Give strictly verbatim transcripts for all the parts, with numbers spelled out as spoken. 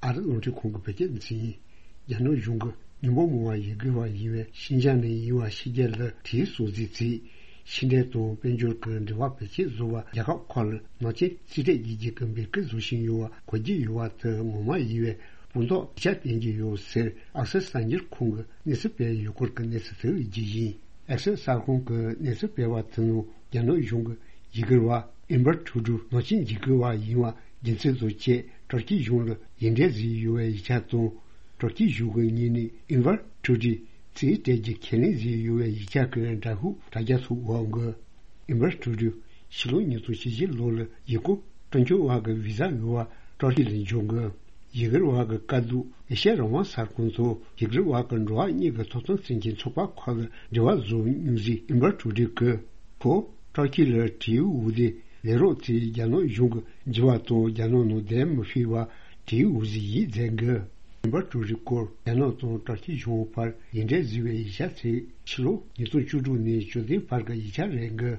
ཨ་རི་རླུང་འཕྲིན་ཁང་གི་བོད་སྐད་སྡེ་ཚན་ཡིན། རྒྱ་ནག་གཞུང་གིས་མི་འབོར་མང་བ་ཡུ་གུར་བ་ཡིན་པའི་ཤིན་ཅང་ནས་ཡིན་པ་ཕྱི་རྒྱལ་ལ་དེའི་སྲོག་འཛིན་བྱས། ཕྱི་འབྲེལ་དང་དཔལ་འབྱོར་གྱི་འབྲེལ་བ་བེད་སྤྱོད་བཟོ་བར་རྒྱལ་ཁབ་ཁག་ལ་ནག་ཅན་རྩིས་སྤྲད་བྱེད་རྒྱུ་གི་འབོད་སྐུལ་བཟོ་བཞིན་ཡོད་པ་གོ་རྒྱུ་ཡོད་པ་དེ་ངོ་མ་ཡིན་པའི་དཔང་རྟགས་ཡིག་ཆ་བསྟན་གྱི་ཡོད་ཟེར། ཨག་སེར་གསར་འགྱུར་ཁང་གིས་གནས་ཚུལ་སྤེལ་ཡོད་སྐོར་གྱི་གནས་ཚུལ་དེ་རྒྱུ་ཡིན། ཨག་སེར་གསར་ཁང་གིས་གནས་ཚུལ་སྤེལ་བ་དེ་ནང་རྒྱ་ནག་གཞུང་གིས་ཡུ་གུར་བ་ཨིན་བར་ཁྲུ་ཌུ་ནག་ཅན་འཇིགས་སྐུལ་བ་ཡིན་པ་རྒྱུ་མཚན་དང་བཅས་ཏུར་ཀི་གཞུང་ལ་ཡིག་འབྲེལ་བཟོས་ཡོད་པའི་ཡིག་ཆ་དང་། ཏུར་ཀི་གཞུང་གི་ངོས་ནས་ཨིན་བར་ཁྲུ་ཌུ་རྩིས་སྤྲད་རྒྱུ་ཁས་ལེན་བཟོས་ཡོད་པའི་ཡིག་ཆ་གི་འདྲ་ཤོག་དྲ་རྒྱ་ཐོག་དབང་གིས། ཨིན་བར་ཁྲུ་ཌུ་ཕྱི་ལོ་ཉིས་སྟོང་བཅུ་བཞི་ལོ་ལ་ཡུལ་སྐོར་སྤྲོ་འཆམ་བ་གི་བི་ཟ་ཡོད་པ་ཏུར་ཀི་ལ་འབྱོར་གི། ཡུ་གུར་བ་གི་དཀའ་སྡུག་ཨེ་ཤ་ཡ་རང་དབང་གསར་ཁང་དང་ཡུ་གུར་བ་གི་འགྲོ་བ་གཉིས་ཀྱི་ཐོབ་ཐང་བརྩོན་མཁན་ཚོགས་པ་ཁག་ལ་འབྲེལ་བ་བཟོ་མྱོང་ཟིག་ཨིན་བར་ཁྲུ་ཌུ་གིས། ཁོ་ཏུར་ཀི་ལ་དྲེའུ་འུ་དེ་ལས་རོགས་ཚོས་རྒྱ་ནག་གཞུང་གི་འགྱུར་བ་དང་རྒྱ་ནག་ནང་བསྡད་མི་ཕོད་པ་དྲེའུ་འུ་ཟིག་ཡིན་མཛད་གི། ཨིན་བར་ཁྲུ་ཌུ་སྐོར་རྒྱ་ནག་དང་ཏུར་ཀི་གཞུང་བར་ཡིག་འབྲེལ་བཟོས་པའི་ཡིག་ཆ་ཚོས་ཕྱི་ལོ་ཉིས་སྟོང་བཅུ་དྲུག་ནས་བཅུ་བདུན་བར་གྱི་ཡིག་ཆ་རེད་གི།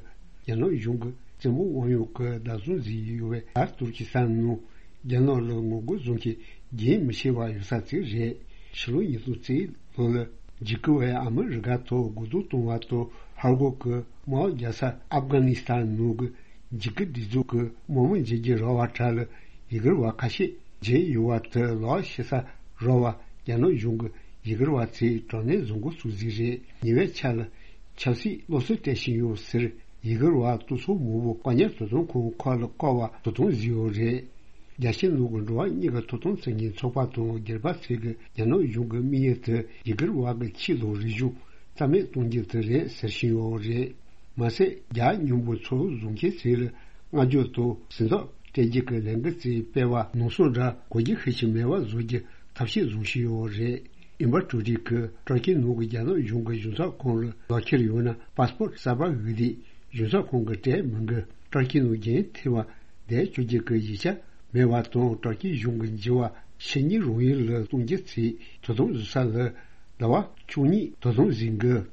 རྒྱ་ནག་གཞུང་གིས་བཙན་པོ་དབང་ཡོད་ཀྱི་བདག་བཟུང་བཟོས་ཡོད་པའི་ཨར་ཏུར་ཀི་སི་ཐན་ནང་རྒྱ་ནག་ལ་ངོ་རྒོལ་བཟོ་མཁན་རྒྱུན་མི་ཆད་པར་ཡོད་ས་ཅིག་རེད། ཕྱི་ལོ་ཉིས་སྟོང་རྩ་གཅིག་ལོ་ལ་འཇིགས་སྐུལ་བས་ཨ་མི་རི་ཀ་ཐོག་རྒོལ་རྡུང་གཏོང་བ་དང་ཧར་གོ་གི་དམག་རྒྱག་ས་ཨབ་གྷ་ནི་སི་ཐན་ནང་གི་འཇིགས་སྐུལ་སྒྲིག་འཛུགས་ཀྱི་དམག་མི་འཇིགས་ཀྱི་ར་བ་གྲས་ལ་ཡུ་གུར་བ་ཁ་ཤས་བརྗེས་ཡོད་པ་དེ་ལག་ཤེས་ས་ར་བ་རྒྱ་ནག་གཞུང་གི་ཡུ་གུར་བ་ཚོས་དྲག་གནོན་བཟོ་འགོ་ཚུགས་ཟིག་རེད། ཉེ་བའི་ཆར་ལ་ཆབ་སྲིད་སློབ་གསོ་སྤྲད་བཞིན་ཡོད་ཟེར། ཡུ་གུར་བ་སྟོབས་ཤུགས་མང་པོ་དཀའ་ཉར་དོ་དམ་ཁང་ཁག་ལ་བཀག་པ་དོ་དམ་བཟོས་ཡོད་རེད། རྒྱལ་སྤྱིའི་ནང་གི་འགྲོ་བ་མིའི་ཐོབ་ཐང་རྩོད་མཁན་ཚོགས་པ་དང་སྒེར་པ་ཚོས་ཀྱི་རྒྱ་ནག་གཞུང་གི་དམིགས་ཡུལ་དེ་ཡུ་གུར་བ་གི་ཆོས་དང་རིག་གཞུང་རྩ་མེད་གཏོང་རྒྱུ་དེ་རེད་ཟེར་བཞིན་ཡོད་རེད། མ་ཟད་རྒྱ་མཉམ་པོ་ཚོགས་བཟོ་མཁན་ཚོས་ལ་བསྔགས་བརྗོད་དང་ཟིན་ཐོ་སྤྲད་རྒྱུ་གི་ལས་འགུལ་ཚོས་སྤེལ་བ་ནང་སོང་འདྲ་གོ་རྒྱུ་ཤུགས་ཆེ་མེད་པ་བཟོ་རྒྱུ་ཐབས་ཤེས་བཟུང་བཞིན་ཡོད་རེད། ཨིན་བར་ཁྲུ་ཌུ་གིས་ཏུར་ཀི་ནང་གི་རྒྱ་ནག་གཞུང་གི་གཞུང་ཚབ་ཁང་ལ་ལག་འཁྱེར་ཡོད་ན་པ་སི་པོར་གསར་པ་དབུལ་ཏེ་གཞུང་ཚབ་ཁང་གིས་སྤྲད་མི་དགོས། ཏུར་ཀི་ནང་རྒྱུན་མཐུད་པ་བསྡད་བཅུག་རྒྱུ་གི་ཡིག་ཆ་མེད་པ་དང་ཏུར་ཀི་གཞུང་གི་འགྱུར་བ་ཕྱི་ཉིན་རང་ཡུལ་ལ་གཏོང་རྒྱུ་ཚོས་དོ་དམ་བཟོ་ས་ལ་ཟླ་བ་བཅུ་གཉིས་དོ་དམ་བཟོས་འགོ།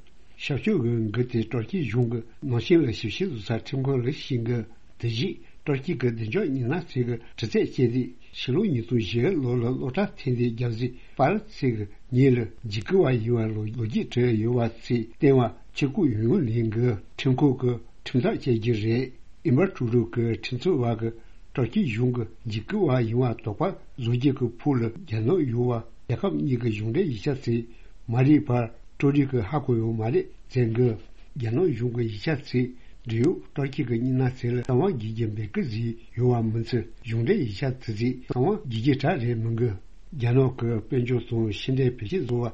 ཞབས་ཞུ་གི་འགུལ་དེ་ཏུར་ཀི་གཞུང་གི་ནང་ཆེན་ལ་ཞིབ་བཤེར་བཟོ་ས་ཁྲིམས་ཁང་ལ་ཕྱིན་འགོ། དེ་བཞིན་ཏུར་ཀི་གི་བདེ་འཇགས་མི་སྣ་ཚོས་ཀྱི་དྲི་རྩད་བྱས་ཏེ་ཕྱི་ལོ་ཉིས་སྟོང་བཞི་ལོ་ལ་སློབ་གྲྭ་ཐོན་ཏེ་རྒྱལ་སྲས་པཱ་ལགས་ཚོས་ཀྱི་ཉིད་ལ་འཇིགས་སྐུལ་བ་ཡིན་པ་ལོ་ལོ་རྒྱུས་བྲིས་ཡོད་པ་ཚོས་བསྟན་པ་ཕྱིར་བསྐུར་ཡོང་ལེན་གྱི་ཁྲིམས་ཁང་གི་ཁྲིམས་ཐག་བཅད་རྒྱུ་རེད། ཨིན་བར་ཁྲུ་ཌུ་གི་ཁྲིམས་རྩོད་པ་གི་ཏུར་ཀི་གཞུང་གི་འཇིགས་སྐུལ་བ་ཡིན་པ་དོགས་པ་བཟོ་རྒྱུ་གི་ཕུགས་ལ་རྒྱ་ནག་ཡོད་པ་རྒྱལ་ཁབ་གཉིས་ཀྱི་གཞུང་འབྲེལ་ཡིག་ཆ་ཚོས་མ་རིག་པར་ཏུར་ཀི་གི་ཧ་གོ་ཡོད་མ་རེད་ཟེར་གི། རྒྱ་ནག་གཞུང་གི་ཡིག་ཆ་ཚོས་འབྲེལ་ཡོད་ཏུར་ཀི་གི་མི་སྣ་ཚོ་ལ་གསང་བ་འགེལ་རྒྱུ་འབོད་སྐུལ་བཟོས་ཡོད་པ་མིན་ཚེ་གཞུང་འབྲེལ་ཡིག་ཆ་དེ་ཚོས་གསང་བ་འགེལ་རྒྱུ་གྲས་རེད་མི་འགི། རྒྱ་ནག་གི་དཔལ་འབྱོར་དང་ཕྱི་འབྲེལ་བེད་སྤྱོད་བཟོ་བར་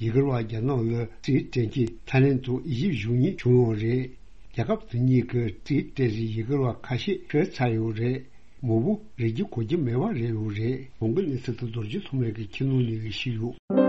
ཡུ་གུར་བ་རྒྱ་ནག་ལ་རྩིས་སྤྲད་མཁན་ཐའི་ལེན་དང་ཨི་ཇིབ་གཞུང་གཉིས་བྱུང་ཡོད་རེད། རྒྱལ་ཁབ་དེ་གཉིས་ཀྱི་རྩིས་སྤྲད་རིགས་ཡུ་གུར་བ་ཁ་ཤས་ཤོར་ཚར་ཡོད་རེད། མང་པོ་རིག་རྒྱུ་གོ་རྒྱུ་མེད་པ་རེད་ཡོད་རེད། གོང་གི་གནས་ཚུལ་དེ་རྡོ་རྗེ་ཐོགས་མེད་ཀྱིས་ཁྱེད་རྣམས་ནས་ཞུས་ཡོད།